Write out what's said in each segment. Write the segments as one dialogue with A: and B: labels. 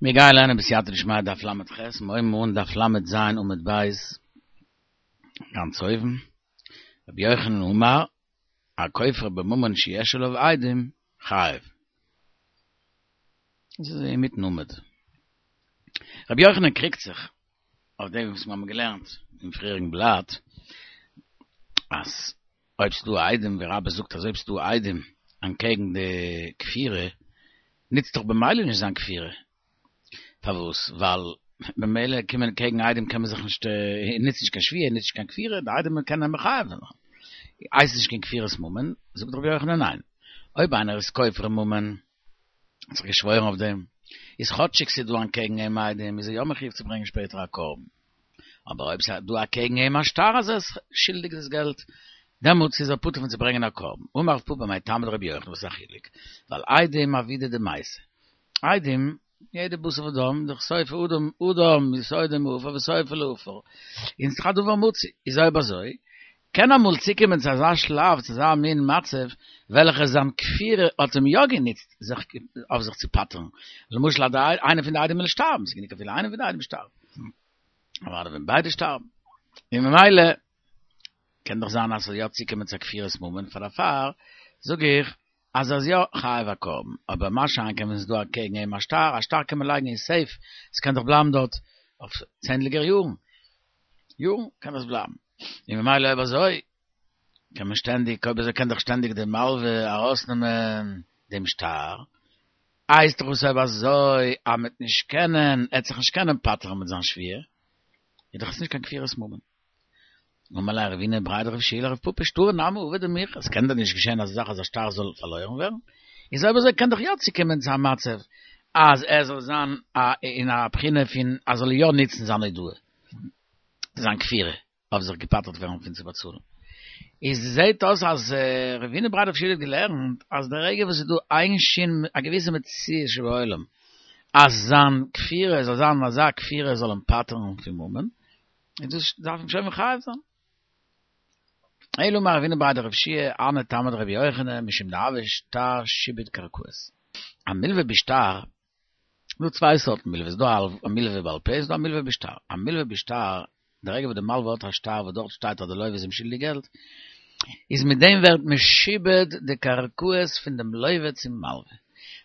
A: מיר גייען לערנען בסייעתא דשמיא דף ל"ח, מיר הויבן אן דף ל"ז עמוד ב', גאנץ אויבן, רבי יוחנן אמר, הכופר בממון שיש עליו עדים, חייב. דאס איז אינמיטן עמוד. רבי יוחנן קריגט זיך אויף דעם וואס מיר האבן געלערנט אין פריעריגן בלאט, אז אויב ס'דא עדים, ווי רבה זאגט אז אויב ס'דא עדים אנטקעגן די כפירה, נוצט דאך במילא נישט זיין כפירה. פארוואס? ווייל במילא קומען קעגן עדים קען מען זיך נישט, נוצט נישט קיין שבועה, נוצט נישט קיין כפירה, די עדים קענען אים מחייב זיין. הייסט נישט קיין כפירת ממון, זאגט רבי יוחנן ניין. אויב איינער איז כופר אין ממון, האט זיך געשוואוירן אויף דעם, איז כאטשיג ס'איז דא אנטקעגן אים עדים, איז ער יא מחויב צו ברענגען שפעטער א קרבן. אבער אויב ס'איז דא אקעגן אים א שטר אז ער איז שולדיג דאס געלט, דעמאלטס איז ער פטור פון צו ברענגען א קרבן. אמר רב פפא מאי טעמא דרבי יוחנן וואס איז א חילוק? ווייל עדים עבידא דמייתא. עדים, יעדע בשר ודם, דאך סוף אדם, אדם יסודו מעפר וסופו לעפר. און ס'איז דאך א דבר מצוי. איז אויב אזוי, קען אמאל צוקומען צו אזא שלב, צו אזא מין מצב, וועלכע זיין כפירה האט אים יא גענוצט זיך אויף זיך צו פטר'ן. למשל אז איינער פון די עדים וויל שטארבן, ס'איז גענוג אפילו איינער פון די עדים שטארבט. אבער ווען ביידע שטארבן. און ממילא קען דאך זיין אז ס'זאל יא צוקומען צו א כפירת ממון, פאר דערפאר זאג איך אז ער איז יא חייב א קרבן, אבער מה שאין כן ווען ס'איז דא אקעגן אים א שטר, א שטר קען מען לייגן אין סעיף, ס'קען דאך בלייבן דארט אויף צענדליגער יארן, יארן קען עס בלייבן, און ממילא אויב אזוי קען מען שטענדיג, אויב אזוי קען דאך שטענדיג די מלווה ארויסנעמען דעם שטר, הייסט דאך וואס אויב אזוי אז מ'וועט נישט קענען, ער וועט זיך נישט קענען פטר'ן מיט זיין שבועה, איז דאך עס נישט קיין כפירת ממון. אמר ליה רבינא בריה דרב יהושע לרב פפא שטרא נמי עביד ומיכרס, עס קען דען נישט געשען אזא זאך אז א שטר זאל פארלוירן ווערן? איז אויב אזוי קען דאך יא צוקומען צו א מצב אז ער זאל זיין אין א בחינה פון אז זאל יא נוצן זיין הודאה, זיין כפירה, אויף זיך געפטר'ט ווערן פון צו באצאלן. איז זעהט אויס אז רבינא בריה דרב יהושע האט געלערנט אז די רגע וואס איז דא איין שין א געוויסע מציאות שבעולם אז זיין כפירה זאל זיין אזא כפירה זאל אים פטר'ן פון ממון, און דאס דארף אים שוין מחייב זיין. אלא אמר רבינא בריה דרב יהושע הני טעמא דרבי יוחנן משום דהוי שטר שעבוד קרקעות. א מלווה בשטר, דא צוויי סארטן מלווה, ס'דא א מלווה בעל פה, ס'דא א מלווה בשטר. א מלווה בשטר, די רגע וואס די מלווה האט א שטר וואס דארט שטייט אז די לווה איז אים שולדיג געלט, איז מיט דעם ווערט משועבד די קרקעות פון דעם לווה צום מלווה.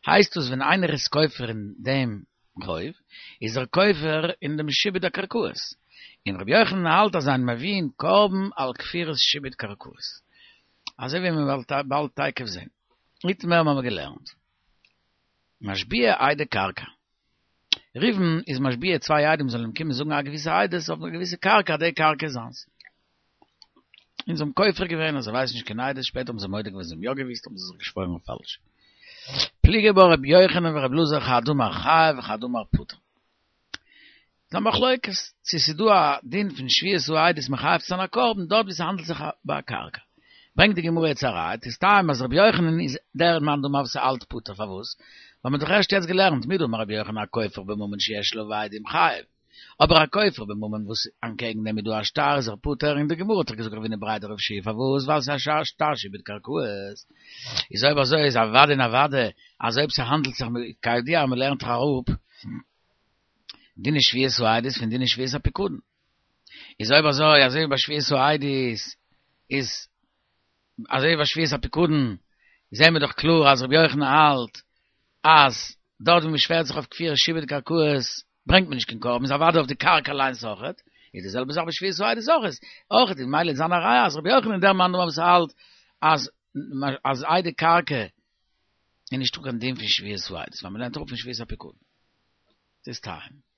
A: הייסט דאס ווען איינער איז כופר אין דעם חוב, איז ער כופר אין דעם שעבוד הקרקעות, און רבי יוחנן האלט אז אין מביאין קרבן על כפירת שעבוד קרקעות. אזוי ווי מען וועט באלד תיכף זען. איתמר האבן מיר געלערנט. משביע עדי קרקע. ראובן איז משביע צוויי עדים זאלן אים קומען זאגן א געוויסע עדות אויף א געוויסע קרקע אז די קרקע איז זיינס. און זיי האבן כופר געווען אז זיי ווייסן נישט קיין עדות, שפעטער האבן זיי מודה געווען זיי האבן יא געוואוסט האבן זיי זיך געשוואוירן פאלש. פליגי בה רבי יוחנן ורבי אלעזר חד אמר חייב וחד אמר פטור. ס'איז א מחלוקת צו ס'איז דא א דין פון שבועת העדות מחייב צו זיין א קרבן דארט וואו ס'האנדלט זיך ביי א קרקע. ברענגט די גמרא יעצט א ראיה, תסתיים אז רבי יוחנן איז דער מאן דאמר וואס האלט פטור פארוואס? ווייל מ'האט דאך ערשט יעצט געלערנט מדאמר רבי יוחנן הכופר בממון שיש עליו עדים חייב. אבער א כופר בממון וואס אנטקעגן דעם איז דא א שטר איז ער פטור און די גמרא האט דאך געזאגט רבינא בריה דרב יהושע פארוואס ווייל ס'איז א שטר שעבוד קרקעות איז אויב אזוי איז אוודאי און אוודאי אז אויב ס'האנדלט זיך כידוע מ'לערנט דאך אראפ דיני שבועת העדות פון דיני שבועת הפיקדון איז אויב אזוי אזוי ווי ביי שבועת העדות איז אזוי ווי ביי שבועת הפיקדון זעהן מיר דאך קלאר אז רבי יוחנן האלט אז דארט ווי מען שווערט זיך אויף כפירת שעבוד קרקעות ברענגט מען נישט קיין קרבן איז אוודאי אויף די קרקע אליינס אויכעט, איז די זעלבע זאך ביי שבועת העדות אויך אויכעט איז ממילא זיין א ראיה אז רבי יוחנן איז דער מאן דאמר וואס האלט אז אז עדי קרקע איז נישטא קיין דין פון שבועת העדות ווייל מען לערנט אראפ פון שבועת הפיקדון. ס'איז טיים.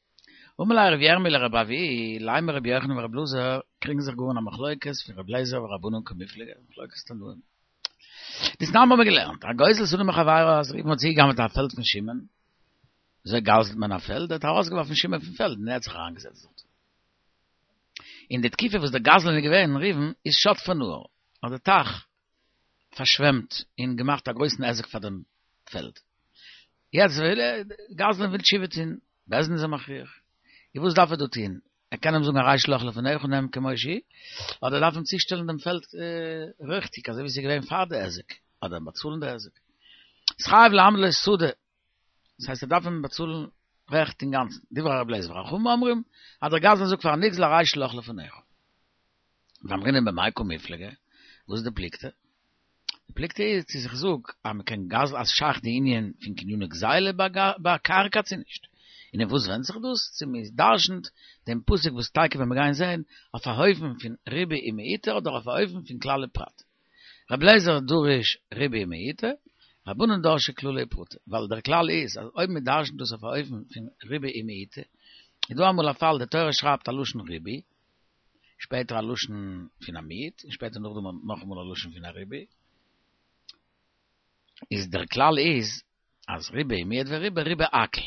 A: אמר ליה רבי ירמי' לרבי אבהו, לימא רבי יוחנן ורבי אלעזר קריגן זיך גאר אין א מחלוקת פון רבי אליעזר ורבנן קמיפלגי, מחלוקת תנאים. דתנן האבן מיר געלערנט, הגוזל שדה מחבירו אז ראובן האט צוגעגנב'עט א פעלד פון שמעון, וויאזוי גזל'ט מען א פעלד? ער האט ארויסגעווארפן שמעון פון פעלד און ער האט זיך אריינגעזעצט דארט. אין די תקופה וואס דער גזלן איז געווען, ראובן, איז שטפה נהר, האט די טייך פארשוועמט און געמאכט א גרויסן היזק פאר דעם פעלד. יעצט וויל ער, גזלן וויל תשובה טון, בית דין איז אים מכריח. און וואס דארף ער דא טון? ער קען אים זאגן הרי שלך לפניך נעם כמו שהיא, אדער ער דארף אים צושטעלן דעם פעלד ריכטיג אזוי ווי עס איז געווען פאר די היזק, אדער אים באצאלן די היזק. איז חייב להעמיד לו שדה, דאס הייסט ער דארף אים באצאלן. רעכט אינגאנצן, דברי רבי אליעזר וחכמים אומרים, אז דער גזלן זאגט פארן נגזל הרי שלך לפניך. ואמרינן במאי קמיפלגי, וואס איז די פלוגתא? די פלוגתא איז צו איך זאג אז מען קען גזל'ן אז שייך די ענין פון קניני גזילה ביי קרקע צו נישט. און אין וואס ווענדט זיך דאס? צו מען דרש'נט דעם פסוק וואס תיכף ווען מיר גייען זעהן אויף א אופן פון ריבוי ומיעוטא אדער אויף א אופן פון כלל ופרט. רבי אליעזר דריש ריבוי ומיעוטא, רבנן דרשי כללי ופרטי, ווייל דער כלל איז אז אויב מען דרש'נט דאס אויף א אופן פון ריבוי ומיעוטא, איז דא אמאל א פאל די תורה שרייבט א לשון ריבוי, שפעטער א לשון פון א מיעוט, און שפעטער נאכדעם נאכאמאל א לשון פון א ריבוי, איז דער כלל איז אז ריבה מיעט וריבה ריבה הכל.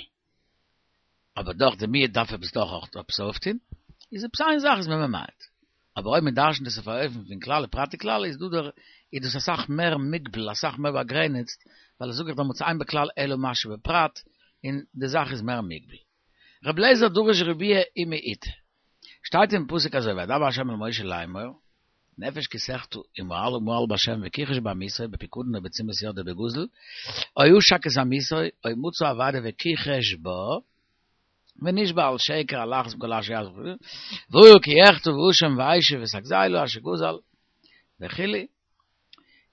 A: אבער דאך די מיעוט דארף עפעס דאך אויך עפעס אויפטון, איז עפעס איין זאך איז מען ממעט. אבער אויב מען דרש'נט עס אויף א אופן פון כלל ופרט וכלל איז דא דער איז דאס אסאך מער מוגבל אסאך מער באגרעניצט, ווייל זאג איך דעמאלטס אין בכלל אלא מה שבפרט, און די זאך איז מער מוגבל. רבי אליעזר דריש ריבויא ומיעוטא. שטייט אין פסוק אזוי וידבר ה' אל משה לאמור, נפש כי תחטא ומעלה מעל בהשם וכחש בעמיתו בפקדון או בתשומת יד או בגזל, או עשק את עמיתו, או מצא אבידה וכחש בה, ונשבע על שקר על אחת מכל אשר יעשה והיה כי יחטא והאשם והשיב את הגזילה אשר גזל וכו',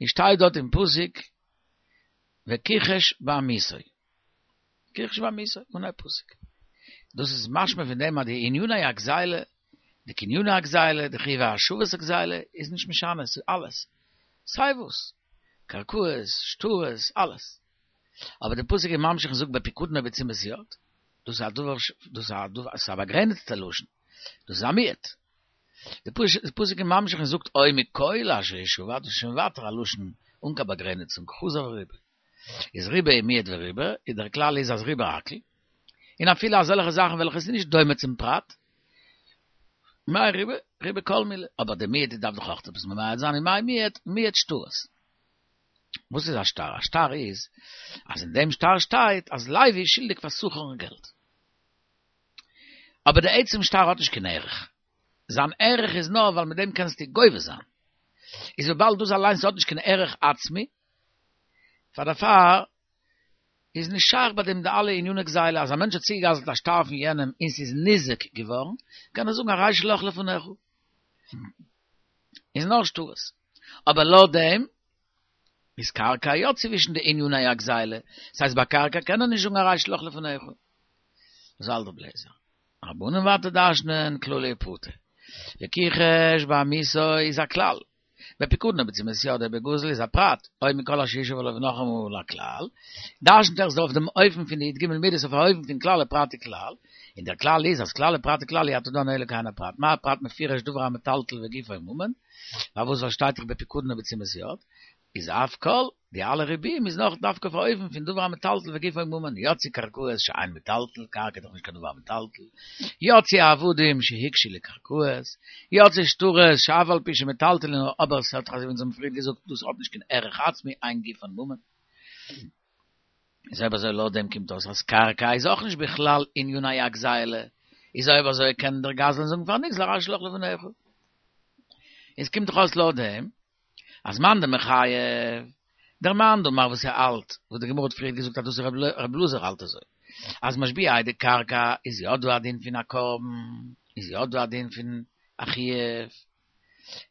A: און שטייט דארט אין פסוק וכחש בעמיתו. כחש בעמיתו, אן א פסוק. דאס איז משמע פון דעם אז די עניני הגזילה, די קניני הגזילה, די חיוב השבת הגזילה, איז נישט משנה, ס'איז אלעס. סיי וואס. קרקעות, שטרות, אלעס. אבער די פסוק איז ממשיך און זאגט בפיקדון או בתשומת יד. דאס איז א דבר, דאס איז א דבר, ס'איז א באגרעניצטע לשון. דאס איז א מיעוט. די פסוק איז ממשיך און זאגט או מכל אשר ישבע, דאס איז שוין ווייטער א לשון אן קיין באגרעניצונג, חזר וריבה. איז ריבה מיעט וריבה, איז דער כלל איז אז ריבה הכל, און אפילו אזעלכע זאכן וועלכע איז נישט דומה צום פרט, מאי ריבה, ריבה כל מילי, אבער די מיעוט דארף דאך אויך עפעס ממעט זיין, און מאי מיעוט, מיעוט שטרות. וואס איז א שטר? א שטר איז, אז אין דעם שטר שטייט אז לוי איז שולדיג פאר שכר'ן געלט. אבער די עצם שטר האט נישט קיין ערך. זיין ערך איז נאר ווייל מיט דעם קענסטו גובה זיין. איז וויבאלד דאס אליינס האט נישט קיין ערך עצמי, פאר דערפאר איז נישט שייך ביי דעם די אלע עניני גזילה, אז א מענטש האט צוגעגזלט א שטר פון יענעם און ס'איז ניזוק געווארן, קען ער זאגן הרי שלך לפניך. איז נאר שטרות. אבער לויט דעם איז קרקע יא צווישן די עניני הגזילה, ס'הייסט ביי קרקע קען ער נישט זאגן הרי שלך לפניך. אזוי האלט רבי אליעזר. רבנן ווייטער דרש'נען כללי ופרטי. וכחש בעמיתו איז א כלל. בפיקדון או בתשומת יד או בגזל איז א פרט, או מכל אשר ישב עליו נאכאמאל א כלל, דרש'נט ער עס אויף דעם אופן פון די י"ג מידות אויף א אופן פון כלל ופרט וכלל, און דער כלל איז אז כלל ופרט וכלל אי אתה דן אלא כעין הפרט, מה הפרט מפורש דבר המטלטל וגופו ממון, פארוואס ווייל שטייט דאך בפיקדון או בתשומת יד, איז אף כל, די אלע ריבויים איז נאך דווקא אויף א אופן פון דבר המטלטל וגופו ממון, יצאו קרקעות שאין מטלטל, קרקע איז דאך נישט קיין דבר המטלטל, יצאו עבדים שהוקשו לקרקעות, יצאו שטרות שאף על פי שמטלטלין אבער ס'האט דאך אזוי ווי אונז האבן פריער געזאגט דאס האט נישט קיין ערך עצמי אין גופן ממון. איז אויב אזוי לויט דעם קומט אויס אז קרקע איז אויך נישט בכלל עניני הגזילה, איז אויב אזוי קען דער גזלן זאגן פארן נגזל הרי שלך לפניך. איז קומט דאך אויס לויט דעם אז מאן דמחייב, דער מאן דאמר וואס ער האלט, וואס די גמרא האט פריער געזאגט אז דאס איז רב אלעזר האלט אזוי, אז משביעי דקרקע איז יא דא א דין פון א קרבן, איז יא דא א דין פון א חיוב,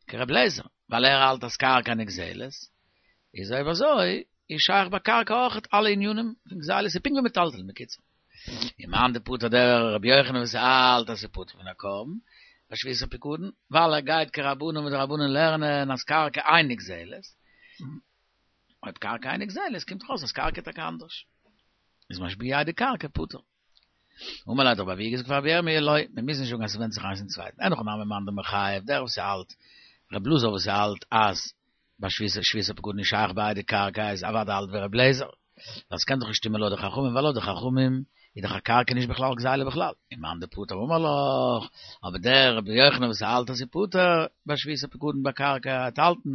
A: כרב אלעזר, ווייל ער האלט אז קרקע נגזלת, איז אויב אזוי איז שייך ביי קרקע אויכעט אלע ענינים פון גזילה, ס'איז פונקט ווי מטלטלין בקיצור. און מאן דפטר דער רבי יוחנן וואס האלט אז ס'איז פטור פון א קרבן ביי שביעת הפיקדון, ווייל ער גייט כרבנן וואס די רבנן לערנען אז קרקע אין נגזלת, אויב קרקע אין נגזלת קומט דאך אויס אז קרקע איז טאקע אנדערש, איז משביעי דקרקע פטור. אמר ליה האט רבי אבהו געזאגט פאר רבי ירמי' לא, מען מוז נישט זאגן אז ס'ווענדט זיך איינס אין צווייטן, אין הכי נמי מאן דמחייב, דער וואס האלט, רבי אלעזר וואס האלט אז ביי שביעת הפקדון איז שייך ביי עדי קרקע איז אוודאי האלט ווי רבי אליעזר, ווייל ס'קען דאך נישט שטימען לויט די חכמים ווייל לויט די חכמים איז דאך א קרקע נישט בכלל גזילה בכלל, און מאן דפטר אמר לך, אבער דער רבי יוחנן וואס האלט אז ס'איז פטור ביי שביעת הפקדון ביי קרקע וועט האלטן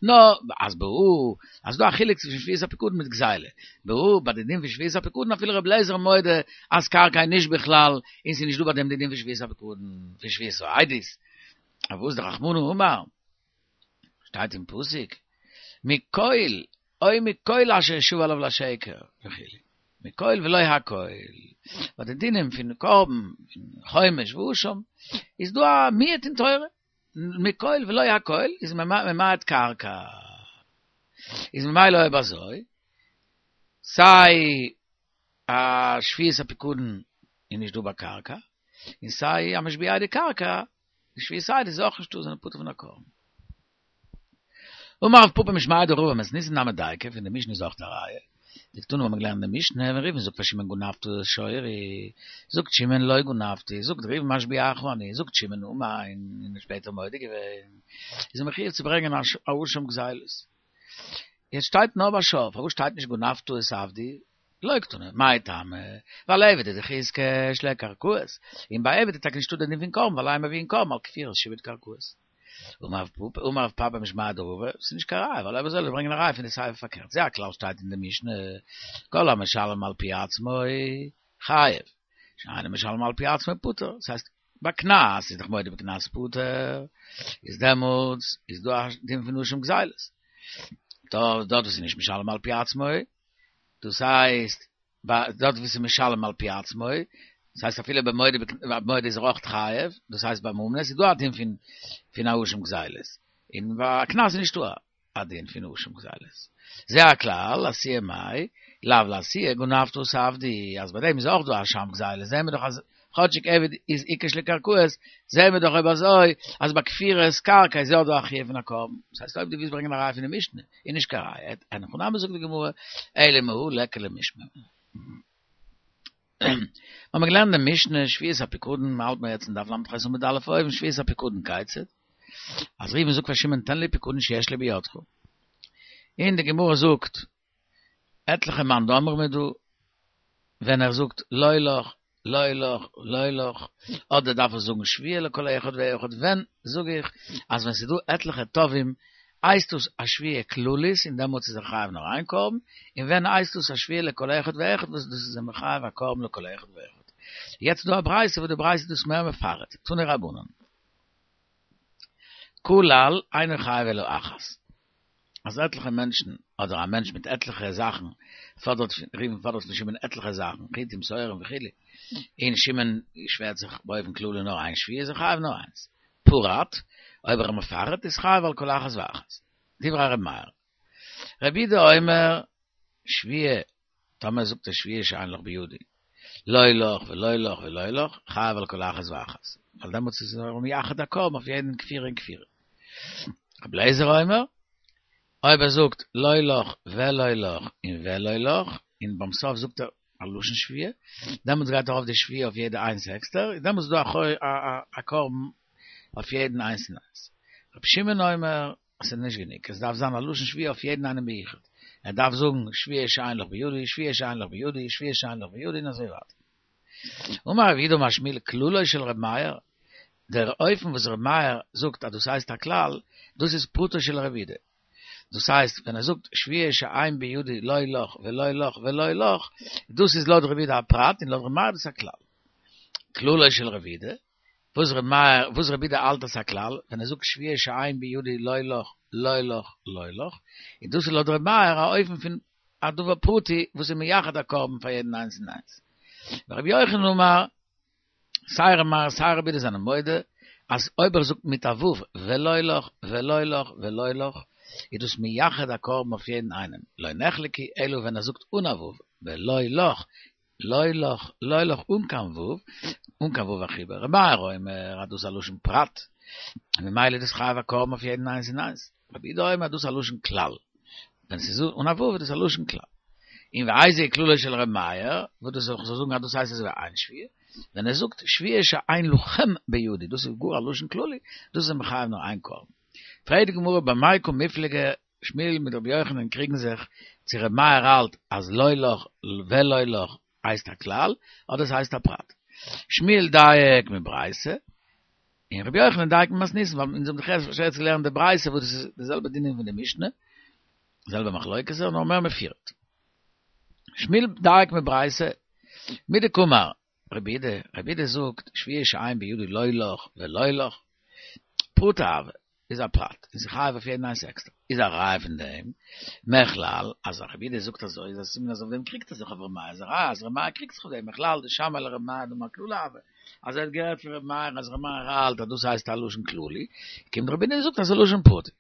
A: נאר אז בהא אז ס'דא א חילוק צווישן שביעת הפקדון מיט גזילה, בהא ביי די דין פון שביעת הפקדון אפילו רבי אליעזר מודה אז קרקע איז נישט בכלל און ס'איז נישט דא ביי דעם די דין פון שביעת הפקדון פון שביעת העדות, אבער וואס דרחמנא אמר. שטייט אין פסוק, מכל, או מכל אשר ישבע עליו לשקר, וכו'. מכל ולא הכל. ביי די דינים פון קרבן, פון חומש ואשם, איז דא א מיעוט אין תורה, מכל ולא הכל איז ממעט קרקע. איז ממילא אויב אזוי, סיי א שבועת הפיקדון איז נישט דא ביי קרקע, און סיי המשביע די קרקע, די שבועת עדות איז אויך נישטא, זענען פטור פון א קרבן. אמר רב פפא משמיה דרבא מתניתין נמי דייקא, פון די משנה איז אויך א ראיה. דקתני האבן מיר געלערנט אין די משנה, ווען ראובן זאגט פאר שמעון גנבת את שורי, זאגט שמעון לא גנבתי, זאגט ראובן משביעך אני, זאגט שמעון אמן, און שפעטער מודה געווען, איז ער מחויב צו ברענגען א אשם גזילות. יעצט שטייט נאר ביי שור, פארוואס שטייט נישט גנבת את עבדי? לא קתני, מאי טעמא? ווייל עבד איז דאך איתקש לקרקעות, און ביי עבד איז טאקע נישטא דער דין פון קרבן ווייל אין מביאין קרבן על כפירת שעבוד קרקעות. אמר רב פפא משמיה דרבא, ס'איז נישט קיין ראיה, ווייל אויב אזוי זאל איך ברענגען א ראיה פון די סיפא פארקערט, זה הכלל שטייט אין די משנה, כל המשלם על פי עצמו חייב, שאינו משלם על פי עצמו פטור, דאס הייסט ביי קנס איז דאך מודה בקנס פטור, איז דעמאלטס איז דא א דין פון אשם גזילות, דארט וואס איז נישט משלם על פי עצמו, דאס הייסט דארט וואו ס'איז משלם על פי עצמו, דאס הייסט אפילו ביי מודה במודה איז ער אויך חייב, דאס הייסט ביי ממונות איז דא א דין פון פון א אשם גזילות, און ביי א קנס איז נישטא א דין פון אשם גזילות. זה הכלל, לאתויי מאי, לאו לאתויי גנבת את עבדי, אז ביי דעם איז אויך דא א אשם גזילות, זעהן מיר דאך אז כאטשיג עבד איז איתקש לקרקעות, זעהן מיר דאך אויב אזוי אז ביי כפירת קרקע איז יא דא א חיוב פון א קרבן, דאס הייסט אויב דו ווילסט ברענגען א ראיה פון די משנה, איז נישט קיין ראיה, אין הכי נמי זאגט די גמרא, אלא מהא ליכא למשמע. האבן מיר געלערנט די משנה שבועת הפיקדון, מ'האלט מיר יעצט אין דף ל"ח עמוד א' אויבן, שבועת הפיקדון כיצד, אז ראובן זאגט פאר שמעון תן לי פיקדון שיש לי בידך, און די גמרא זאגט עטליכע מאן דאמרים איז דא, ווען ער זאגט לא לך, לא לך, לא לך, אדער דארף ער זאגן שבועה לכל אחד ואחד, ווען זאג איך אז ווען ס'איז דא עטליכע תובעים הייסט דאס א שבועה כללית און דעמאלטס איז ער חייב נאר איין קרבן, און ווען הייסט דאס א שבועה לכל אחד ואחד וואס דאס איז ער מחייב א קרבן לכל אחד ואחד. יעצט איז דא א ברייתא וואס די ברייתא איז דאס מער מפרט, תנו רבנן. כלל אינו חייב אלא אחת. אז עטליכע מענטשן, אדער א מענטש מיט עטליכע זאכן, פאדערט פון, ראובן פאדערט פון שמעון עטליכע זאכן, חיטים, שעורים וכו', און שמעון שווערט זיך באופן כללי נאר איין שבועה, איז ער חייב נאר איינס. פרט, אויב ער מפרט, איז חייב על כל אחת ואחת. דברי ר' מאיר. רבי יהודה אומר, שבועה טאמער זאגט ער שבועה שאין לך בידי, לא לך ולא לך ולא לך, חייב על כל אחת ואחת, ווייל דעמאלטס איז ער מייחד א קרבן אויף יעדן כפירה און כפירה. רבי אליעזר אומר, אויב ער זאגט לא לך ולא לך און ולא לך, און ביים סוף זאגט ער א לשון שבועה, דעמאלטס גייט ארויף די שבועה אויף יעדע איינס עקסטער, און דעמאלטס איז דא א קרבן אויף יעדן איינס און איינס. רבי שמעון אומר, עס איז נישט גענוג, עס דארף זיין א לשון שבועה אויף יעדן איינעם ביחוד, ער דארף זאגן שבועה שאין לך בידי, שבועה שאין לך בידי, שבועה שאין לך בידי און אזוי ווייטער. אמר רב יהודה אמר שמואל כללו של ר' מאיר, דער אופן וואס ר' מאיר זאגט אז דאס הייסט א כלל, דאס איז פרטו של ר' יהודה. דאס הייסט ווען ער זאגט שבועה שאין בידי לא לך ולא לך ולא לך, דאס איז לויט ר' יהודה א פרט און לויט ר' מאיר איז דאס א כלל. כללו של ר' יהודה, וואס ר' מאיר, וואס רבי יהודה האלט אלס א כלל, ווען ער זאגט שבועה שאין בידי לא לך, לא לך, לא לך, און דאס איז לויט ר' מאיר א אופן פון א דבר פרטי וואס איז מייחד א קרבן פאר יעדן איינס און איינס. ורבי יוחנן אמר, סיי ר' מאיר סיי רבי יהודה זענען מודה, אז אויב ער זאגט מיט א ו' ולא לך, ולא לך, ולא לך, איז דאס מייחד א קרבן אויף יעדן איינעם, לא נחלקו אלא ווען ער זאגט אן א ו', ולא לך, לא לך, לא לך אן קיין ו', אן קיין ו' החיבור, ר' מאיר אומר אז דאס איז א לשון פרט, און ממילא איז דאס חייב א קרבן אויף יעדן איינס און איינס, רבי יהודה אומר אז דאס איז א לשון כלל, ווען ס'איז אן א ו' איז דאס א לשון כלל. און ואיזהו כללו של ר' מאיר, וואס דאס זאל איך זאל זאגן אז דאס הייסט אזוי ווי איין שבועה, ווען ער זאגט שבועה שאין לכם בידי, דאס איז גאר א לשון כללי, דאס איז מחייב נאר איין קרבן. פרעגט די גמרא במאי קא מיפלגי שמואל מיט רבי יוחנן קריגן זיך צו רבי מאיר האלט אז לא לך ולא לך הייסט א כלל אדער ס'הייסט א פרט. שמואל דייק מברייתא און רבי יוחנן דייק ממתניתין ווייל אונז האבן דאך ערשט יעצט געלערנט די ברייתא וואס דאס איז די זעלבע דינים פון די משנה, די זעלבע מחלוקת נאר מער מפורט. שמואל דייק מברייתא מדקאמר רבי יהודה, רבי יהודה זאגט שבועה שאין בידי לא לך ולא לך פרטא הוי. איז א פרט, און ס'איז חייב אויף יעדן איינס עקסטער. איז א ראיה פון דעם, מכלל, אז רבי יהודה זאגט אזוי איז א סימן אז אויף דעם קריגט ער זיך אויף ר' מאיר, איז א ראיה אז ר' מאיר קריגט זיך אויף דעם, מכלל דשמעיה לר' מאיר דאמר כללא הוי, אז ער האט געהערט פון ר' מאיר אז ר' מאיר האלט אז דאס הייסט א לשון כללי, קומט רבי יהודה און זאגט אז ס'איז א לשון פרטי.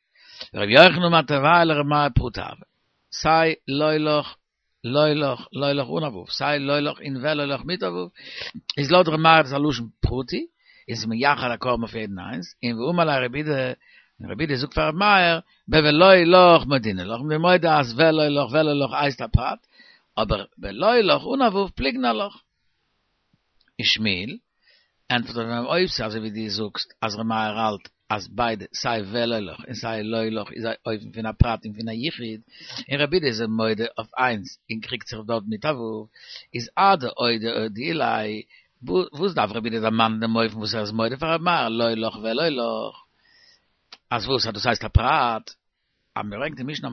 A: רבי יוחנן אמר תרווייהו לר' מאיר פרטא הוי, סיי לא לך לא לך, לא לך אן א ו', סיי לא לך און ולא לך מיט א ו', איז לויט ר' מאיר איז א לשון פרטי, און ס'איז מייחד א קרבן אויף יעדן איינס, און ואמר ליה רבי יהודה, און רבי יהודה זאגט פאר ר' מאיר, בולא לך מודינא לך, מ'איז מודה אז ולא לך ולא לך הייסט א פרט, אבער בלא לך אן א ו' פליגנא עלך. ושמואל, ענטפערט אויף אים אויב ס'איז אזוי ווי דו זאגסט אז ר' מאיר האלט אז ביידע סיי ולא לך און סיי לא לך איז א אופן פון א פרט און פון א יחיד, און רבי יהודה איז מודה אויף איינס און קריגט זיך דארט מיט א ו', איז אדאודי אודיע ליה, וואס דארף רבי יהודה דערמאנען דעם אופן וואס ער איז מודה פאר ר' מאיר לא לך ולא לך? אז וואס אז דאס הייסט א פרט? אז מ'ברענגט אין משנה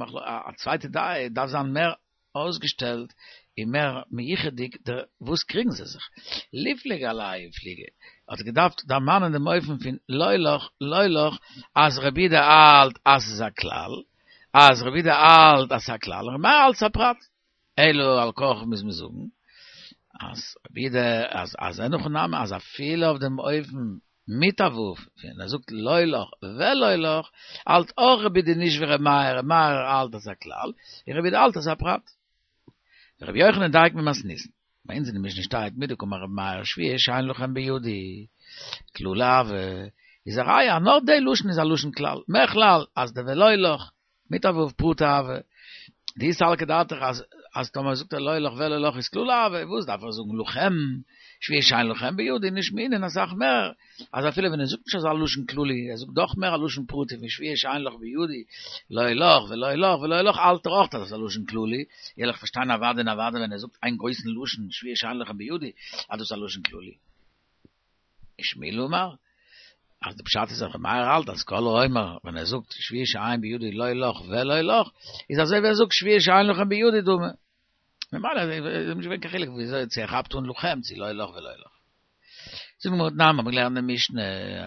A: א צווייטע דעה דארף זיין מער אויסגעשטעלט און מער מיוחד'דיג דער וואס קריגן זיי זיך. ליפלוג עלייהו פליגי האט ער געדארפט דערמאנען דעם אופן פון לא לך לא לך אז רבי יהודה האלט אז ס'איז א כלל, אז רבי יהודה האלט אז ס'איז א כלל און רבי מאיר האלט ס'איז א פרט. אלא על כרחך מוז מען זאגן אז רבי יהודה אז אז אין הכי נמי אז אפילו אויף דעם אופן מיט א ו', ווען ער זאגט לא לך ולא לך, האלט אויך רבי יהודה נישט ווי ר' מאיר, ר' מאיר האלט אז א כלל, און רבי יהודה האלט אז א פרט. רבי יוחנן דייקא ממתניתין, ביי אונז אין די משנה שטייט מדקאמר רבי מאיר שבועה שאין לכם בידי, כללא הוי, איז א ראיה אז נאר די לשון איז א לשון כלל, מכלל אז די ולא לך מיט א ו' פרטא הוי, דאי סלקא דעתך אז אז טאמער זאגט ער לא לך ולא לך איז כללא הוי, וואס דארף ער זאגן לכם, שבועה שאין לכם בידי נשמעינן אסאך מער, אז אפילו ווען ער זאגט נישט אזא לשון כללי, ער זאגט דאך מער א לשון פרטי פון שבועה שאין לך בידי, לא לך ולא לך ולא לך האלט ער אויך אז עס איז א לשון כללי, וועל איך פארשטיין אוודאי און אוודאי ווען ער זאגט איין גרויסן לשון שבועה שאין לכם בידי אז דאס איז א לשון כללי. ושמואל אמר, אז די פשט איז אז ר' מאיר האלט אז כל האומר ווען ער זאגט שבועה שאין בידי לא לך ולא לך, איז אזוי ווי ער זאגט שבועה שאין לכם בידי דמי. ממילא איז נישט געווען קיין חילוק וויאזוי צו ער כאפט אן לכם צו לא לך ולא לך. זאגט די גמרא תנן מ'האט געלערנט אין די משנה,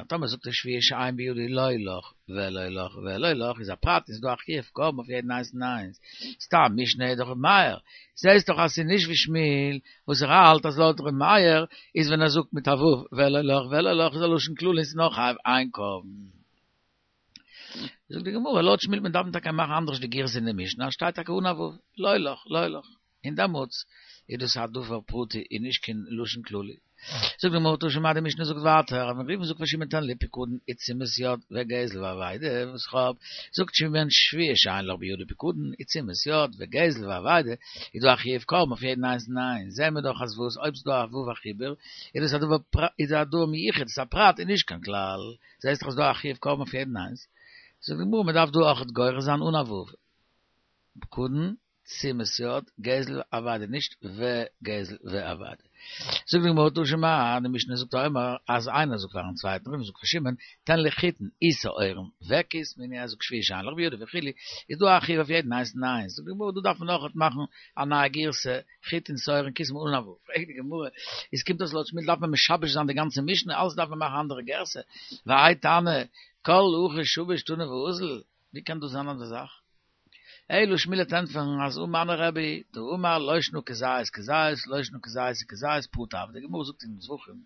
A: טאמער זאגט ער שבועה שאין בידי לא לך ולא לך ולא לך איז א פרט איז דא א חיוב קרבן אויף יעדן איינס און איינס. סתם משנה איז דאך ר' מאיר, זעהסט דאך אז ס'איז נישט ווי שמואל וואס ער האלט אז לויט ר' מאיר איז ווען ער זאגט מיט א ו' ולא לך ולא לך איז א לשון כללי און ס'איז נאר חייב איין קרבן. זאגט די גמרא לויט שמואל מען דארף טאקע מאכן אנדערש די גירסא אין די משנה אז שטייט טאקע אן א ו' לא לך לא לך און דעמאלטס איז דאס א דבר פרטי און נישט קיין לשון כללי. זאגט די גמרא תא שמע די משנה זאגט ווייטער אז ווען ראובן זאגט פאר שמעון תן לי פיקדון ותשומת יד וגזל ואבידה וואס איך האב, זאגט שמעון שבועה שאין לך בידי פיקדון ותשומת יד וגזל ואבידה איז דא א חיוב קרבן אויף יעדן איינס און איינס זעהן מיר דאך אז וואס אויב ס'איז דא א ו' א חיבור איז דאס א דבר איז א דבר מיוחד ס'איז א פרט און נישט קיין כלל זעהסט דאך אז ס'דא א חיוב קרבן אויף יעדן איינס זאגט די גמרא מ'דארף דא אויכעט גורס זיין אן א ו' פיקדון תשומת יד, גזל אבידה, נישט וגזל ואבידה. זאגט די גמרא תא שמע, די משנה זאגט האומר, אז איינער זאגט פארן צווייטן, ראובן זאגט פאר שמעון, תן לי חיטין ושעורים וכסמין, ער זאגט שבועה שאין לך בידי וכו', איז דא א חיוב אויף יעדן איינס און איינס, זאגט די גמרא דא דארף מען אויכעט מאכן א נייע גירסא, חיטין שעורים כסמין אן א ו', פרעגט די גמרא, איז קומט אויס לויט שמואל דארף מען משבש זיין די גאנצע משנה, אלעס דארף מען מאכן א אנדערע גירסא, והאי תנא, כל הכי שביש תני ואזיל, ווי קען דאס זיין אזא זאך? אלא שמואל וועט ענטפערן אז הא מני רבי דאמר לא שנא כזית כזית לא שנא כזית וכזית פרטא הוי די גמרא זאגט אין זבחים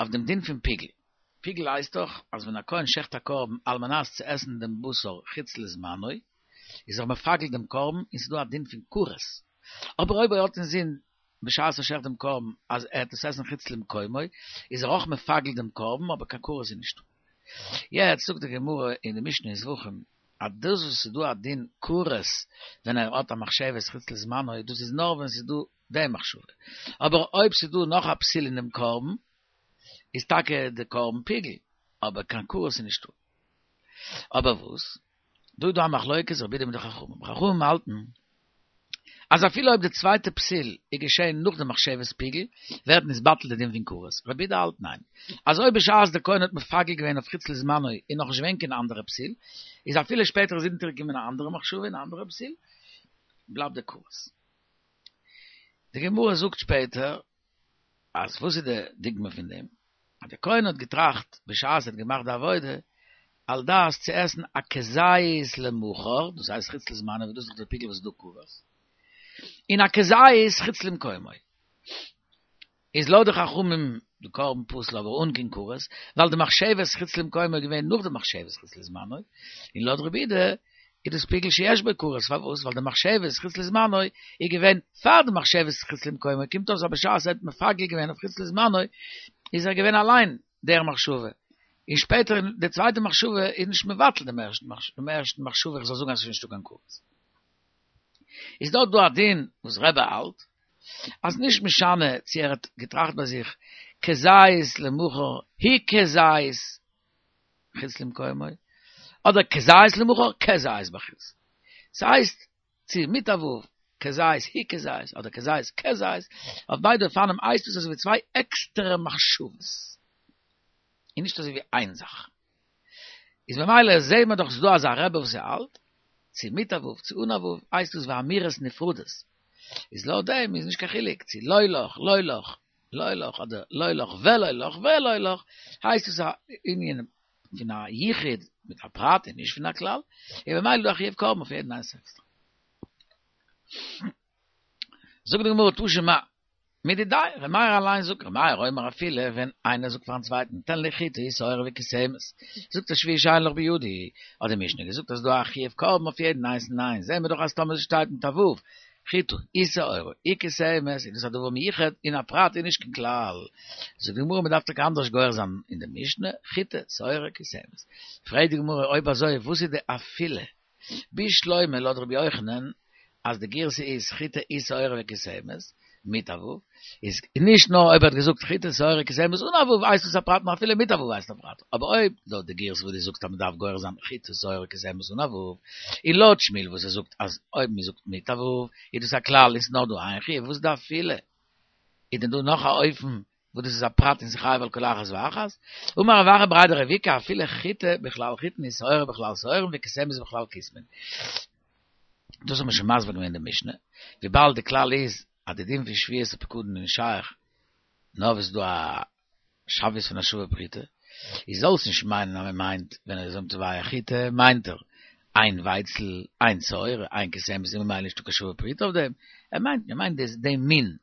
A: אויף דעם דין פון פיגול פיגול הייסט דאך אז ווען א כהן שעכט א קרבן על מנת צו עסן דעם בשר חוץ לזמנו איז ער מפגל דעם קרבן און ס'איז דא א דין פון כרת אבער אויב ער האט אינזין בשעת ער שעכט דעם קרבן אז ער וועט עס עסן חוץ למקומו איז ער אויך מפגל דעם קרבן אבער קיין כרת איז נישטא. יעצט זאגט די גמרא אין די משנה אין זבחים אז דאס וואס ס'איז דא א דין כרת ווען ער האט א מחשבת חוץ לזמנו דאס איז נאר ווען ס'איז דא די מחשבה אבער אויב ס'איז דא נאך א פסול אין דעם קרבן איז טאקע די קרבן פיגול אבער קיין כרת איז נישטא. אבער וואס? דא איז דא א מחלוקת רבי יהודה מיט די חכמים, חכמים האלטן אז אפילו אויב די צווייטע פסול איז געשען נאך די מחשבת פיגול, ווערט נתבטל די דין פון כרת. רבי יהודה האלט ניין, אז אויב בשעת די כהן האט מפגל געווען אויף חוץ לזמנו איז נאך נישט געווען קיין אנדערע פסול, איז אפילו שפעטער איז אונטערגעקומען א אנדערע מחשבה און א אנדערע פסול, בלייבט די כרת. די גמרא זאגט שפעטער אז וואס איז די דוגמא פון דעם? אז דער כהן האט געטראכט בשעת ער האט געמאכט די עבודה, על דעת צו עסן א כזית למחר, דאס הייסט חוץ לזמנו וואס דאס איז דאך דער פיגול וואס איז דא כרת, און א כזית חוץ למקומו. איז לויט די חכמים די קרבן פסול אבער אן קיין כרת, ווייל די מחשבת חוץ למקומו איז געווען נאך די מחשבת חוץ לזמנו, און לויט רבי יהודה איז דאס פיגול שיש בו כרת, פארוואס? ווייל די מחשבת חוץ לזמנו איז געווען פאר די מחשבת חוץ למקומו, קומט אויס אז בשעת ער האט מפגל געווען אויף חוץ לזמנו איז ער געווען אליין דער מחשבה, און שפעטער די צווייטע מחשבה איז נישט מבטל דעם ערשטן מחשבה איך זאל זאגן אז עס איז נישטא קיין כרת. איז דארט דא א דין וואס רבי האלט אז נישט משנה צו ער האט געטראכט ביי זיך כזית למחר הוא כזית חוץ למקומו אדער כזית למחר כזית בחוץ ס'הייסט צו מיט א ו' כזית הוא כזית אדער כזית כזית אויף ביידע אופנים הייסט עס אזויווי צוויי עקסטערע מחשבות און נישט אזויווי איין זאך איז ממילא זעהט מען דאך ס'דא אזא רבי וואס ער האלט צו מיט א ו' צו אן א ו' הייסט דאס ווי אמירות נפרדות, איז לויט דעם איז נישט קיין חילוק צו לא לך לא לך לא לך אדער לא לך ולא לך ולא לך, הייסט עס א ענין פון א יחיד מיט א פרט און נישט פון א כלל, און ממילא איז דא א חיוב קרבן אויף יעדן איינס עקסטער. זאגט די גמרא תא שמע. מדידיה, ר' מאיר אליין זאגט, ר' מאיר אומר אפילו ווען איינער זאגט פארן צווייטן תן לי חיטה ושעורה וכסמת, זאגט ער שבועה שאין לך בידי, האט די משנה געזאגט אז ס'דא א חיוב קרבן אויף יעדן איינס ניין, זעהן מיר דאך אז טאמער ס'שטייט מיט א ו', חיטה ושעורה וכסמת, איז דאס א דבר מיוחד און א פרט און נישט קיין כלל. זאגט די גמרא מ'דארף טאקע אנדערש גורס זיין אין די משנה, חיטה, שעורה, כסמת. פרעגט די גמרא אויב אזוי וואס איז די אפילו? בשלמא לויט רבי יוחנן אז די גירסא איז חיטה ושעורה וכסמת מיט א ו', איז נישט נאר אויב ער האט געזאגט חיטה שעורה כסמת אן א ו' הייסט עס א פרט נאר אפילו מיט א ו' הייסט א פרט, אבער אויב לויט די גירסא וואס דו זאגסט אז מען דארף גורס זיין חיטה שעורה כסמת אן א ו', און לויט שמואל וואס ער זאגט אז אויב מען זאגט מיט א ו' איז דאס א כלל און ס'איז נאר דא איין חיוב וואס איז די אפילו? איז דען דא נאך א אופן וואס דאס איז א פרט און ס'איז חייב על כל אחת ואחת, אמר רב אחא בריה דרב איקא אפילו חיטה בכלל חיטין ושעורה בכלל שעורים וכסמת בכלל כסמין. דאס האט מען שוין מסביר געווען אין די משנה, וויבאלד די כלל איז אז די דין פון שבועת הפקדון איז נישט שייך נאר ווען ס'איז דא א שוויות פון א שווה פרוטה, איז זאלסט נישט מיינען אז מ'מיינט ווען ער איז תובע חיטה מיינט ער איין ווייצל, איין שעורה, איין כסמת און ממילא נישטא קיין שווה פרוטה אויף דעם, ער מיינט מ'מיינט דעם מין.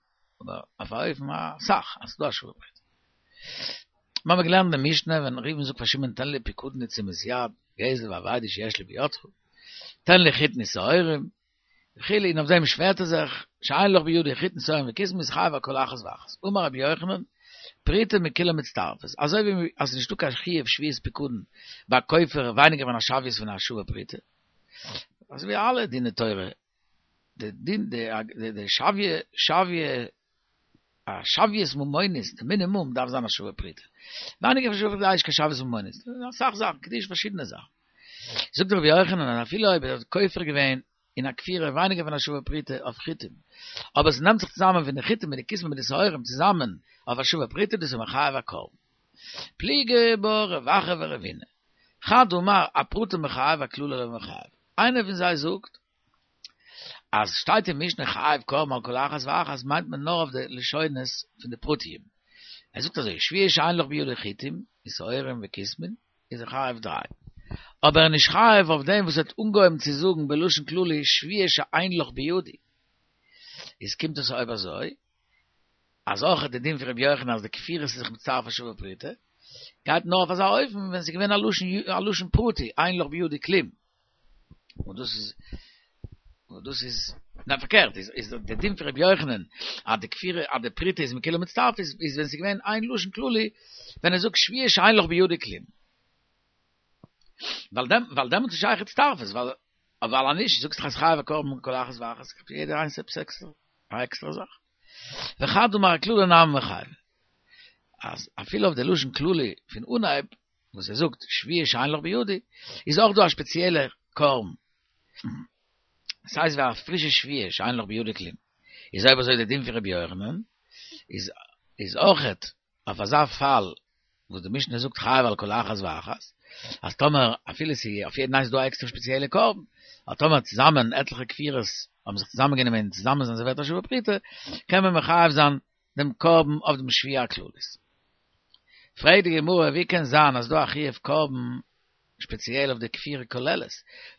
A: אבער אויף א אופן א סך אז ס'דא א שווה פרוטה. מיר האבן געלערנט די משנה ווען ראובן זאגט פאר שמעון תן לי פיקדון לתשומת יד, גזל ואבידה שיש לי בידך, תן לי חיטין ושעורים, וכו', און אויף דעם שווערט ער זיך, שאין לך בידי חיטין שעורים וכסמין איז חייב על כל אחת ואחת. אמר רבי יוחנן, פרוטה מכולן מצטרפת, אזוי ווי אז ס'איז נישטא קיין חיוב שבועת פיקדון ביי כופר ווייניגער פון א שוויות פון א שווה פרוטה, אזוי ווי אלע דיני תורה די דין די די שוויה שוויה א שוויות ממונית די מינימום דארף זיין א שווה פרוטה ווייניגער פון שווה פרוטה איז נישט קיין שוויות ממונית אסאך זאכן קידושין פארשידענע זאכן זאגט רבי יוחנן אז אפילו אויב ער האט כופר געווען אין א כפירה ווייניגער פון א שווה פרוטה אויף חיטים אבער עס נעמט זיך צוזאמען פון די חיטים מיט די כסמין מיט די שעורים צוזאמען אויף א שווה פרוטה דאס איז מחייב א קרבן פליגי בה רב אחא ורבינא חד אמר אפרטה מיחייב אכללא לא מיחייב איינער פון זיי זאגט אז שטייט אין משנה חייב קרבן על כל אחת ואחת מיינט מען נאר אויף די לשונות פון די פרטיים. ער זאגט אזוי שבועה שאין לך בידי חיטים ושעורים וכסמין איז ער חייב דריי. אבער ער איז נישט חייב אויף דעם וואס ער האט אנגעהויבן צו זאגן בלשון כללי שבועה שאין לך בידי. איז קומט עס אויב אזוי אז אויך די דין פון רבי יוחנן אז די כפירות איז זיך מצטרף א שווה פרוטה גייט נאר אויף אזא אופן ווען ס'איז געווען א לשון א לשון פרטי אין לך בידי כלום. און דאס איז און דאס איז ניין פארקערט איז איז די דין פון רבי יוחנן אז די כפירה אז די פרוטה איז מכולן מצטרף איז איז ווען ס'איז געווען איין לשון כללי ווען ער זאגט שבועה שאין לך בידי כלום ווייל דעם ווייל דעמאלטס איז שייך הצטרפות ווייל ווייל אז נישט זאגסט אז חייב א קרבן כל אחת ואחת יעדער איינס עפעס עקסטער א עקסטערע זאך וחד אמר אכללא נמי מיחייב אז אפילו אויף די לשון כללי פון אנהייב וואס ער זאגט שבועה שאין לך בידי, איז אויך דא א שפעציעלע קרבן, ס'הייסט ווי א פרישע שבועה שאין לך בידי כלום, איז אויב אזוי די דין פון רבי יוחנן איז איז אויכעט אויף אזא פאל וואס די משנה זאגט חייב על כל אחת ואחת, אז טאמער אפילו ס'איז אויף יעדן איינס דא א עקסטערע שפעציעלע קרבן, אבער טאמער צוזאמען עטליכע כפירות האבן זיך צוזאמען גענומען און צוזאמען זענען זיי ווערט א שווה פרוטה, קען מען מחייב זיין דעם קרבן אויף דעם שבועה הכללית. פרעגט די גמרא ווי קען זיין אז דא א חיוב קרבן שפעציעל אויף די כפירה כוללת,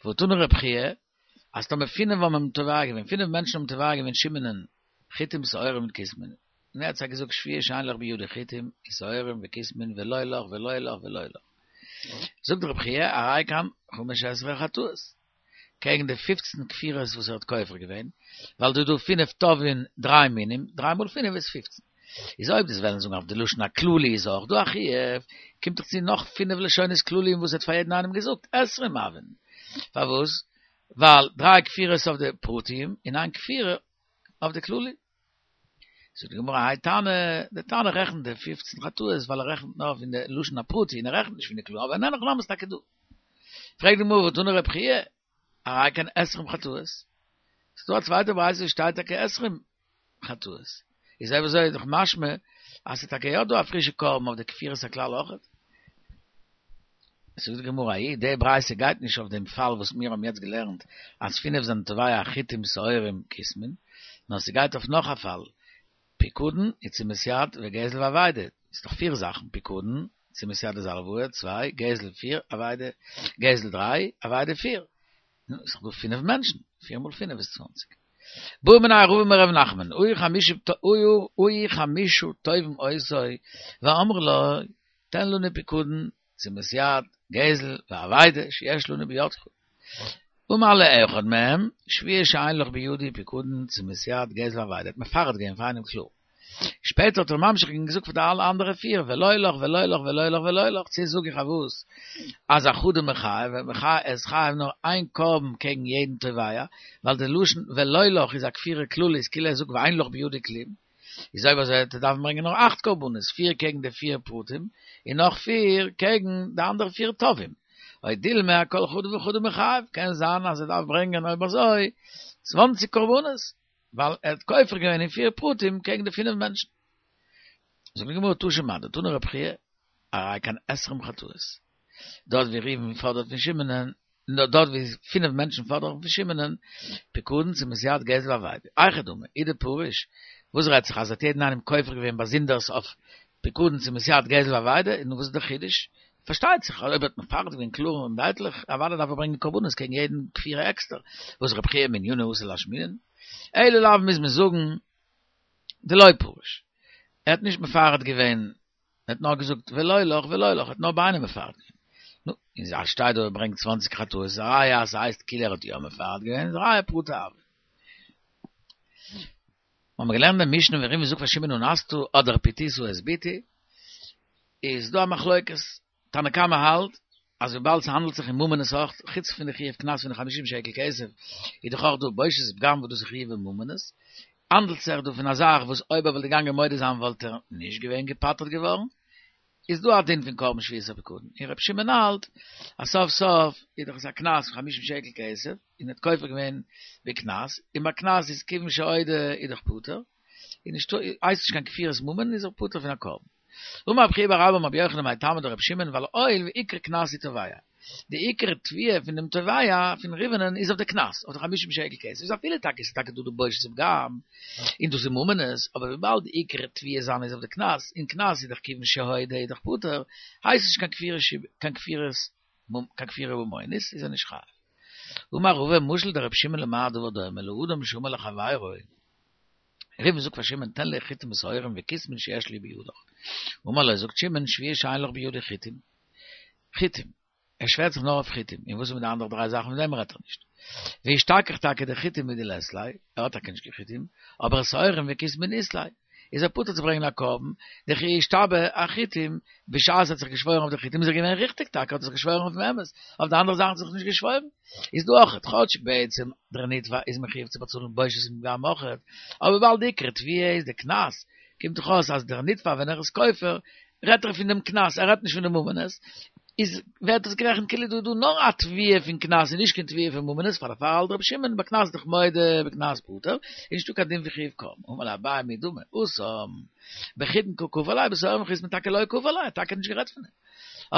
A: והא תני רב חייא אז טאמער פינף האבן אים תובע געווען, פינף מענטשן האבן תובע געווען שמעונ'ען חיטים שעורים און כוסמין, און ער האט זיי געזאגט שבועה שאין לך בידי חיטים ושעורים וכוסמין ולא לך ולא לך ולא לך. זאגט רב חייא הרי כאן חמש עשרה חטאות, קעגן די פופצן כפירות וואס ער האט כופר געווען, ווייל דא איז דא פינף תובעין דריי מינים, דריי מאל פינף איז פופצן. איז אויב דו'סט וועלן זאגן אויף די לשון הכללי איז אויך דא א חיוב, קומט דאך צו נאך פינף לשונות כלליים וואס ער האט פאר יעדן איינעם געזאגט, עשרים הויין. פארוואס? ווייל דריי כפירות אויף די פרטיים און איין כפירה אויף די כללי. זאגט די גמרא האי תנא, די תנא רעכנט די פופצן חטאות ווייל ער רעכנט נאר פון די לשון הפרטי און ער רעכנט נישט פון די כללי, אבער אין הכי נמי איז טאקע דא. פרעגט די גמרא והא תני רב חייא, הרי כאן עשרים חטאות. ס'איז דא א צווייטע ברייתא וואס שטייט טאקע עשרים חטאות. איז אויב אזוי איז דאך משמע אז ס'איז טאקע יא דא א פרישע קרבן אויף די כפירת הכלל אויכעט. זאגט די גמרא ההיא, די ברייתא גייט נישט אויף דעם פאל וואס מיר האבן יעצט געלערנט אז פינף זענען תובע חיטים שעורים כוסמין, נאר ס'גייט אויף נאך א פאל, פיקדון, ותשומת יד, וגזל ואבידה, ס'איז דאך פיר זאכן, פיקדון, תשומת יד איז הלוואה, צוויי, גזל פיר, אבידה, גזל דריי, אבידה פיר. נו, איז דאך דא פינף מענטשן, פיר מאל פינף איז צוואנציג. בעא מיניה רבא מרב נחמן, היו חמשה תובעים אותו, ואמרו לו, תן לנו פיקדון, תשומת יד, גזל, ואבידה, שיש לנו בידך. אמר לאחד מהם, שבועה שאין לך בידי פיקדון, תשומת יד, גזל ואבידה. ער האט מפרט געווען פאר איינעם קלאר. שפעטער האט ער ממשיך געווען און געזאגט פאר די אלע אנדערע פיר, ולא לך ולא לך ולא לך ולא לך, צו זאג איך אויף וואס? אז אחדא מיחייב, ער איז חייב נאר איין קרבן קעגן יעדן תובע, ווייל די לשון ולא לך איז א כפירה כללית, כאילו ער זאגט ואין לך בידי כלום. איז אויב אזוי וועט ער דארפן ברענגען נאר אכט קרבנות, פיר קעגן די פיר פרטים, און נאך פיר קעגן די אנדערע פיר תובעים. או דילמא אכל חדא וחדא מיחייב, קען זיין אז ער דארף ברענגען אויב אזוי צוואנציג קרבנות, ווייל ער האט כופר געווען אין פיר פרטים קעגן די פינף מענטשן. זאגט די גמרא תא שמע, דתני רב חייא, הרי כאן עשרים חטאות. דארט ווי ראובן פאדערט פון שמעונ'ען, דארט ווי פינף מענטשן פאדערן פון שמעונ'ען, פיקדון תשומת יד גזל ואבידה. היכי דמי, אי דפריש, וואס רעדט זיך אז ער האט יעדן איינעם כופר געווען באזונדערס אויף פיקדון תשומת יד גזל ואבידה, נו וואס איז דער חידוש? פארשטייט זיך אז אויב האט מפרט געווען קלאר און דייטליך, אוודאי דארף ער ברענגען קרבנות קעגן יעדן כפירה עקסטער, וואס רב חייא מענייניה אתא לאשמועינן. אלא לאו מוז מען זאגן דלא פריש. ער האט נישט מפרט געווען ער האט נאר געזאגט ולא לך ולא לך, ער האט נאר ביי איינעם מפרט געווען. נו, און אז שטייט דא ער ברענגט צוואנציג חטאות איז א ראיה אז ס'הייסט כאילו ער האט יא מפרט געווען, איז א ראיה פרטא הוה. האבן מיר געלערנט אין משנה ווען ראובן זאגט פאר שמעון אנסת אדער פיתית את בתי, איז דא א מחלוקת, תנא קמא האלט אז וויבאלד ס'האנדלט זיך אין ממונות אויך, חוץ פון די חיוב קנס פון די חמישים שקל כסף, איז דאך אויך דא בושת ופגם וואס דאס איז חיוב בממונות, האנדלט זיך דא פון א זאך וואס אויב ער וואלט געגאנגען מודה זיין וואלט ער נישט געווען געפטר'ט געווארן, איז דא א דין פון קרבן שבועת הפקדון, און ר' שמעון האלט אז סוף סוף איז דאך עס א קנס פון חמישים שקל כסף, און ער האט כופר געווען בקנס, און ביי קנס איז כיוון שהודה איז דאך פטור, איז נישטא, הייסט נישט קיין כפירת ממון איז ער פטור פון א קרבן. אמר רב חייא בר אבא אמר רבי יוחנן מאי טעמא דרבי שמעון ווייל הואיל ועיקר קנס הוא תובע. די עיקר תביעה פון דעם תובע פון ראובנ'ן איז אויף די קנס, אויף די חמישים שקל כסף, איז אפילו טאקע ס'איז טאקע דא די בושת ופגם, און דאס איז ממונות, אבער וויבאלד די עיקר תביעה זיינע איז אויף די קנס, און קנס איז דאך כיוון שהודה איז דאך פטור, הייסט נישט קיין כפירה קיין כפירת קיין כפירה ממונית איז ער נישט חייב. אמר רבא משל דרבי שמעון למה הדבר דומה לאדם שאמר לחבירו ראובן זאגט פאר שמעון תן לי חיטים ושעורים וכוסמין שיש לי בידך. אמר לו זאגט שמעון שבועה שאין לך בידי חיטים. חיטים. ער שווערט זיך נאר אויף חיטים. און וואס איז מיט די אנדערע דריי זאכן פון דעם רעדט ער נישט. ואשתכח טאקע דחיטים הוא דלית ליה, ער האט טאקע נישט קיין חיטים, אבער שעורים וכוסמין אית ליה. איז ער פטור צו ברענגען א קרבן, דכי אשתבע אחיטים, בשעת ער האט זיך געשוואוירן אויף די חיטים איז ער געווען ריכטיג טאקע האט ער זיך געשוואוירן אויפן אמת, אויף די אנדערע זאכן האט ער זיך נישט געשוואוירן. איז דא אויכעט, כאטש בעצם דער נתבע איז מחיוב צו באצאלן בושת און פגם אויכעט, אבער וויבאלד די עיקר תביעה איז די קנס, קומט דאך אויס אז דער נתבע ווען ער איז כופר, רעדט ער פון דעם קנס, ער רעדט נישט פון די ממונות, איז ווערט עס גערעכנט כאילו דא איז דא נאר א תביעה פון קנס און נישט קיין תביעה פון ממונות, פאר דערפאר האלט רבי שמעון בקנס דאך מודה בקנס פטור, איז נישטא קיין דין פון חיוב קרבן. אמר ליה אביי מי דמי, התם, בחיטין קא כפר ליה, בשעורים וכוסמין טאקע לא כפר ליה, טאקע נישט גערעדט פון דעם.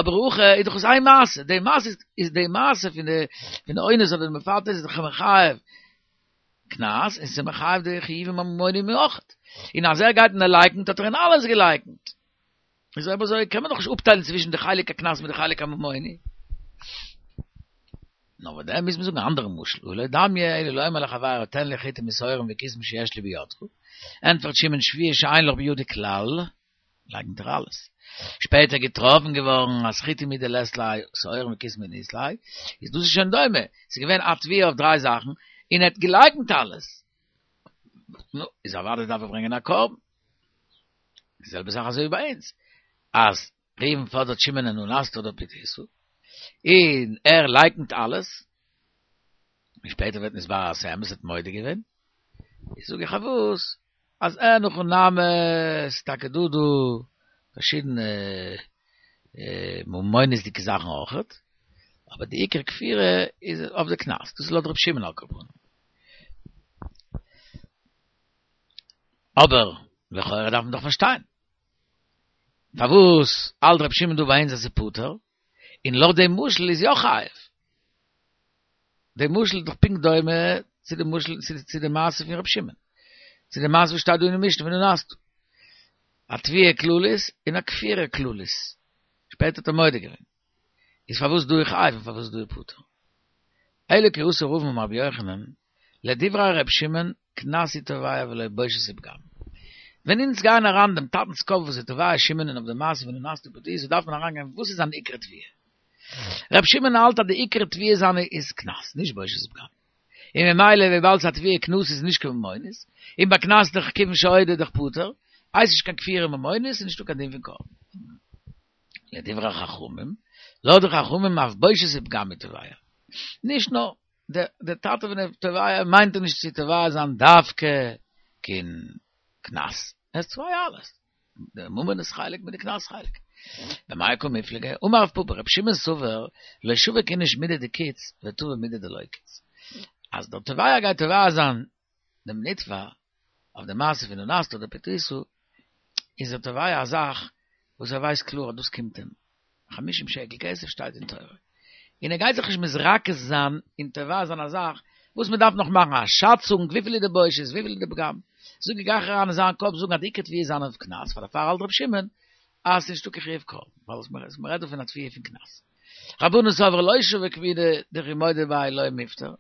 A: אבער הכא איז דאך עס איין מעשה, די מעשה איז די מעשה פון די פון די אונס אדער די מפתה איז דאך מחייב קנס און ס'איז מחייב די חיובים הממוניים אויכעט, און אז ער גייט און ער לייקנט האט ער אין אלעס געלייקנט. איז אויב אזוי קען מען דאך נישט אפטיילן צווישן די חלק הקנס מיט די חלק הממוני. נאר וואס דען מוז מען זאגן א אנדערע משל, הא לא דמיא אלא לאומר לחבירו תן לי חיטים ושעורים וכיסים שיש לי בידך, ענטפערט שמעון שבועה שאין לך בידי כלל, לייקנט ער אלעס. שפעטער געטראפן געווארן אז חיטים הוא דלית ליה שעורים וכיסים הוא דאית ליה, איז דאס איז שוין דומה, ס'איז געווען א תביעה אויף דריי זאכן, און ער האט געלייקנט אלעס. נו, איז אוודאי דארף ער ברענגען א קרבן. די זעלבע זאך אזוי ווי ביי אונז, אז ראובן פאדערט שמעונ'ען אנסת אדער פתית, און ער לייקנט אלעס, און שפעטער ווערט נתברר אז ס'אמת ער האט מודה געווען, איז זאג איך פארוואס אז אין הכי נמי ס'איז טאקע דא דא פארשידענע ממונות'דיגע זאכן אויכעט, אבער די עיקר כפירה איז אויף די קנס, דאס איז לויט ר' שמעון על כל פנים. אבער לכאורה דארף מען דאך פארשטיין, פארוואס האלט ר' שמעון דא ביי אונז אז ס'איז פטור, און לויט דעם משל איז יא חייב? די משל איז דאך פונקט דומה צו די משל צו די מעשה פון ר' שמעון, צו די מעשה וואס שטייט דא אין די משנה פון אנסת, א תביעה כללית און א כפירה כללית, שפעטער האט ער מודה געווען, איז פארוואס דא איז חייב און פארוואס דא איז פטור? אלא כי אתא רבין אמר רבי יוחנן, לדברי ר' שמעון, קנס הוא תובע ולא בושת ופגם. ווען אונז גייען אריין דעם טאטנ'ס קאפ וואס איז תובע שמעון אויף די מעשה פון אנסת ופתית דארף מען אריינגיין וואס איז זיין עיקר תביעה. ר' שמעון האלט אז די עיקר תביעה זיינע איז קנס, נישט בושת ופגם. און ממילא וויבאלד ס'איז א תביעה קנס איז נישט קיין ממונות, און ביי קנס דאך כיוון שהודה דאך פטור, הייסט נישט קיין כפירה ממונות און נישטא קיין דין פון קרבן. לדברי חכמים, לויט די חכמים אף בושת ופגם הוא תובע. נישט נאר דער טאטע ווען ער תובע מיינט ער נישט צו תובע זיין דווקא קיין קנס, ער איז תובע אלעס, די ממונות חלק מיט די קנס חלק. במאי קא מיפלגי, אמר רב פפא, רבי שמעון סבר, לא שביק איניש מידי דקיץ ותבע מידי דלא קיץ. אז דער תובע גייט תובע זיין דעם נתבע אויף די מעשה פון אנסת אדער פתית, איז ער תובע א זאך וואס ער ווייסט קלאר אז דאס קומט אים, חמישים שקל כסף שטייט אין תורה, און ער גייט זיך נישט מתרכז זיין און תובע זיין א זאך וואס מען דארף נאך מאכן א שאצונג וויפיל איז די בושת וויפיל איז די פגם, זאג איך גיי איך אריין אין זיין קאפ זאגן אז די עיקר תביעה איז זיין אויף קנס, פאר דערפאר האלט רבי שמעון אז ס'איז נישטא קיין חיוב קרבן, ווייל מען רעדט דא פון א תביעה פון קנס. רבנן סברי לא שביק מידי דכי מודה ביה לא מיפטר,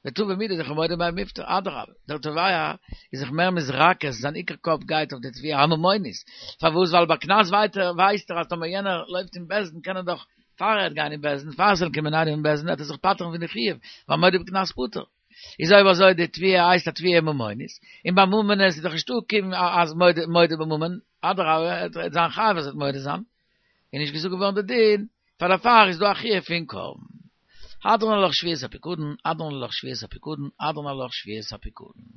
A: ותבע מידי דכי מודה ביה מיפטר, אדרבה, דער תובע איז זיך מער מתרכז, זיין עיקר קאפ גייט אויף די תביעה הממונית, פארוואס ווייל ביי קנס ווייסט ער אז טאמער יענער לויפט אין בית דין קען ער דאך פאר ער וועט גיין אין בית דין, פאר ס'זאל קומען איינער אין בית דין וועט ער זיך פטר'ן פון די חיוב, ווייל מודה בקנס פטור. איז אויב אזוי די תביעה הייסט א תביעה ממונית, און ביי ממונות איז דאך נישטא קיין אז מודה בממון, אדרבה ער וועט זיין חייב אז ער וועט מודה זיין, איז נישט געזאגט געווארן די דין, פאר דערפאר איז דא א חיוב פון קרבן. הדרן עלך שבועת הפיקדון, הדרן עלך שבועת הפיקדון, הדרן עלך שבועת הפיקדון.